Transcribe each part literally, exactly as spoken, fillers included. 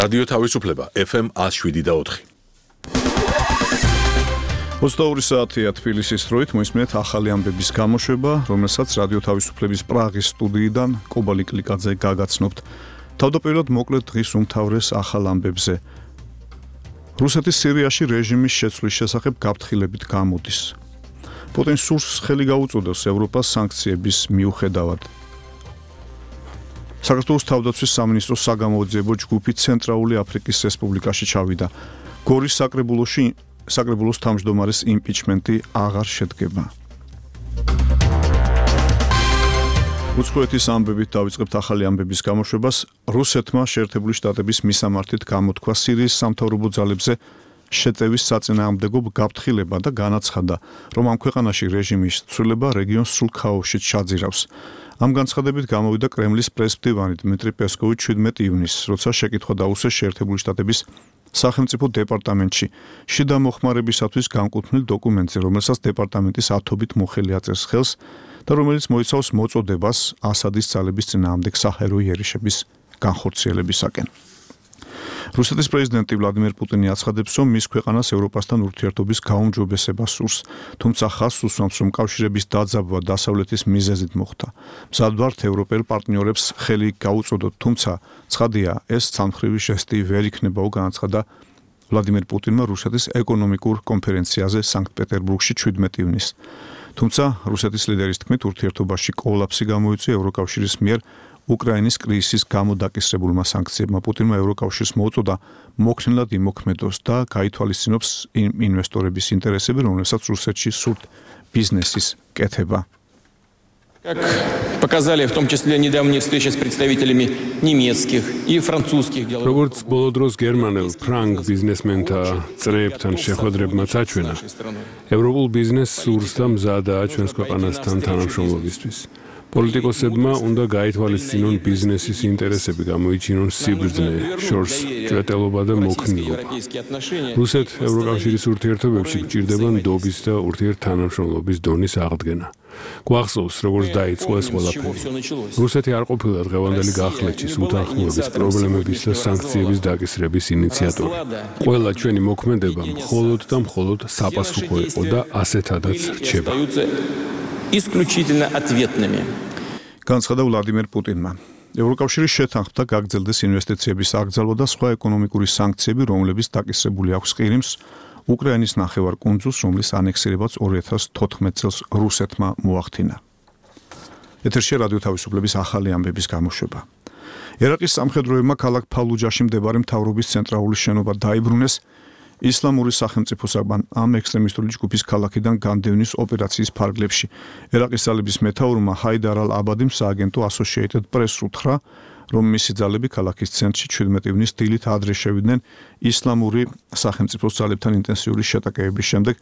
რადიო თავისუფლება ეფ ემ one oh seven და four. ოცდაორი საათია თბილისის დროით მოისმენთ ახალი ამბების გამოშვება, რომელსაც რადიო თავისუფლების პრაღის სტუდიიდან კობალი კლიკაძე გაგაცნობთ. თავდაპირველად მოკლედ დღის უმთავრეს ახალ ამბებზე. რუსეთის სირიაში რეჟიმის შეცვლის შესახებ გაფრთხილებით გამოდის. პუტინს სურს ხელი გაუწოდოს ევროპას სანქციების მიუხედავად. საქართველოს თავდაცვის სამინისტროს საგამოძიებო ჯგუფი ცენტრალური აფრიკის რესპუბლიკაში ჩავიდა. გორის საკრებულოში საკრებულოს თავმჯდომარის იმპიჩმენტი აღარ შედგება. უცხოეთის ამბებით დავიწყებთ ახალი ამბების გამოშვებას. რუსეთმა შეერთებული შტატების მისამართით გამოთქვა სირიის სამთავრობო ძალებზე შეტევის საწინააღმდეგო გაფრთხილება და განაცხადა, რომ ამ ქვეყანაში რეჟიმის ცვლილება რეგიონს სრულ ქაოსშიც ჩაძირავს. ამ განცხადებით გამოვიდა კრემლის პრესმდივანი დმიტრი პესკოვი შვიდმეტი ივნისს, როცა შეკითხვა დაუსვეს შეერთებული შტატების სახელმწიფო დეპარტამენტში შიდა მოხმარებისათვის განკუთვნილ დოკუმენტზე, რომელსაც დეპარტამენტის ათობით მოხელი აწერს ხელს და რომელიც მოიცავს მოწოდებას ასადის ძალების წინააღმდეგ საჰაერო იერიშების განხორციელებისაკენ. რუსეთის პრეზიდენტი ვლადიმერ პუტინი აცხადებს, რომ მის ქვეყანას ევროპასთან ურთიერთობის გაუმჯობესება სურს, თუმცა ხაზს უსვამს, რომ კავშირების დაძაბვა დასავლეთის მიზეზით მოხდა. მზად ვართ ევროპელ პარტნიორებს ხელი გაუწოდოთ, თუმცა ცხადია, ეს ცალმხრივი ჟესტი ვერ იქნებაო, განაცხადა ვლადიმერ პუტინმა რუსეთის ეკონომიკურ კონფერენციაზე სანქტ-პეტერბურგში შვიდმეტი ივნისს. თუმცა რუსეთის ლიდერის თქმით, ურთიერთობაში კოლაფსი გამოიწვია ევროკავშირის მიერ უკრაინის კრიზისის გამო დაკისრებულმა სანქციებმა. პუტინმა ევროკავშირს მოუწოდა მოქნილად იმოქმედოს და გაითვალისწინოს ინვესტორების ინტერესები, რომელსაც რუსეთში სურთ ბიზნესის კეთება. Как показали в том числе недавние встречи с представителями немецких и французских деловых. როგორც ბოლო დროს გერმანელ ფრანგ ბიზნესმენთა წრეებთან შეხვედრებმა წაჩვენა, ევროპულ ბიზნესს სურს და მზადაა ჩვენს ქვეყანასთან თანამშრომლობისთვის. პოლიტიკოსებმა უნდა გაითვალისწინონ ბიზნესის ინტერესები, გამოიჩინონ სიბრძნე, შორს ჭრეტელობა და მოქნილობა. რუსეთ ევროკავშირის ურთიერთობებში გჭირდება ნდობის და ურთიერთთანამშრომლობის დონის აღდგენა. გვახსოვს, როგორც დაიწყო ეს ყველაფერი. რუსეთი არ ყოფილა დღევანდელი გახლეჩის, უთანხმოების პრობლემების და სანქციების დაკისრების ინიციატორი. ყველა ჩვენი მოქმედება მხოლოდ და მხოლოდ საპასუხო იყო და ასეთადაც რჩება. исключительно ответными. განცხადა ვლადიმერ პუტინმა. ევროკავშირის შეთანხმდა გაგრძელდეს ინვესტიციების აკრძალვა და სხვა ეკონომიკური სანქციები, რომლებიც დაკისრებული აქვს ყირიმს, უკრაინის ნახევარკუნძულს, რომლის ანექსირებაც ორი ათას თოთხმეტ წელს რუსეთმა მოახდინა. ეთერში რადიო თავისუფლების ახალი ამბების გამოშვება. ერაყის სამხედროებმა ქალაქ ფალუჯაში მდებარე მთავრობის ცენტრალური შენობა დაიბრუნეს ისლამური სახელმწიფოსაგან ამ ექსტრემისტული ჯგუფის ქალაქიდან განდევნის ოპერაციის ფარგლებში. ერაყის ძალების მეთაურმა ჰაიდარ ალ-აბადიმ სააგენტო Associated Press უთხრა, რომ მისი ძალები ქალაქის ცენტრში შვიდმეტი ივნისს დილით ადრე შევიდნენ ისლამური სახელმწიფოს ძალებთან ინტენსიური შეტაკებების შემდეგ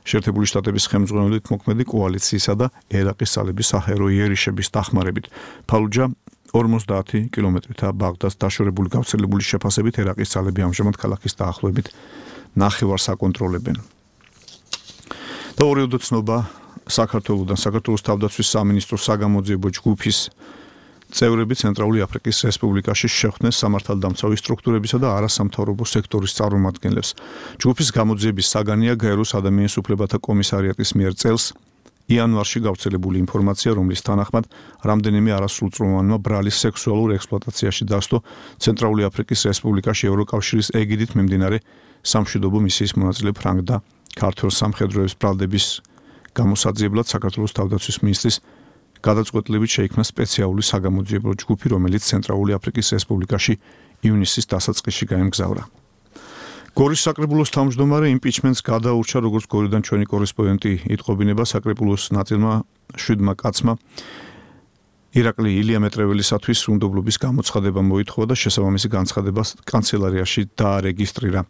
შეერთებული შტატების ხელმძღვანელობით მოქმედი კოალიციისა და ერაყის ძალების საჰაერო იერიშების დახმარებით. ფალუჯა ორმოცდაათი კილომეტრითა ბაღდადს დაშორებული გავრცელებული შეფასებით ერაყის ძალები ამჟამად ქალაქის დაახლოებით ნახევარს აკონტროლებენ. და ორი უდოცნობა საქართველოსთან საქართველოს თავდაცვის სამინისტროს საგამოძიებო ჯგუფის წევრები ცენტრალური აფრიკის რესპუბლიკაში შეხვდნენ სამართალდამცავი სტრუქტურებისა და არასამთავრობო სექტორის წარმომადგენლებს. ჯგუფის გამოძიების საგანია გაეროს ადამიანის უფლებათა კომისარიატის მიერ წელს იანვარში გავრცელებული ინფორმაცია, რომლის თანახმად რამდენიმე არასრულწლოვანმა ბრალის სექსუალურ ექსპლუატაციაში დასდო ცენტრალური აფრიკის რესპუბლიკაში ევროკავშირის ეგიდით მიმდინარე სამშვიდობო მისიის მონაწილე ფრანგ და ქართველ სამხედროების ბრალდების გამოსაძიებლად საქართველოს თავდაცვის მინისტრის გადაწყვეტილებით შეიქმნა სპეციალური საგამოძიებო ჯგუფი, რომელიც ცენტრალური აფრიკის რესპუბლიკაში ივნისის დასაწყისში გაემგზავრა. გორის საკრებულოს თავმჯდომარე იმპიჩმენტს გადაურჩა, როგორც გორიდან ჩვენი კორესპონდენტი იტყობინება, საკრებულოს ნაწილმა შვიდმა კაცმა ირაკლი ილია მეტრეველისათვის უნდობლობის გამოცხადება მოითხოვა და შესაბამისი განცხადება კანცელარიაში დაარეგისტრირა.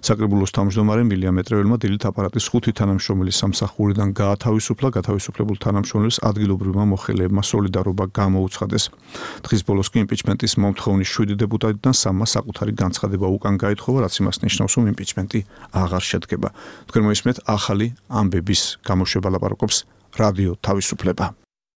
საკრებულოს თავმჯდომარემ ილია მეტრეველმა დილით აპარატის ხუთი თანამშრომლის სამსახურიდან გაათავისუფლა, გათავისუფლებულ თანამშრომლებს ადგილობრივმა მოხელეებმა სოლიდარობა გამოუცხადეს. დღის ბოლოს კი იმპიჩმენტის მომთხოვნის შვიდი დეპუტატიდან სამმა საკუთარი განცხადება უკან გაითხოვა, რაც იმას ნიშნავს, რომ იმპიჩმენტი აღარ შედგება. თქვენ მოისმენთ ახალი ამბების გამოშვება, ლაპარაკობს რადიო თავისუფლება.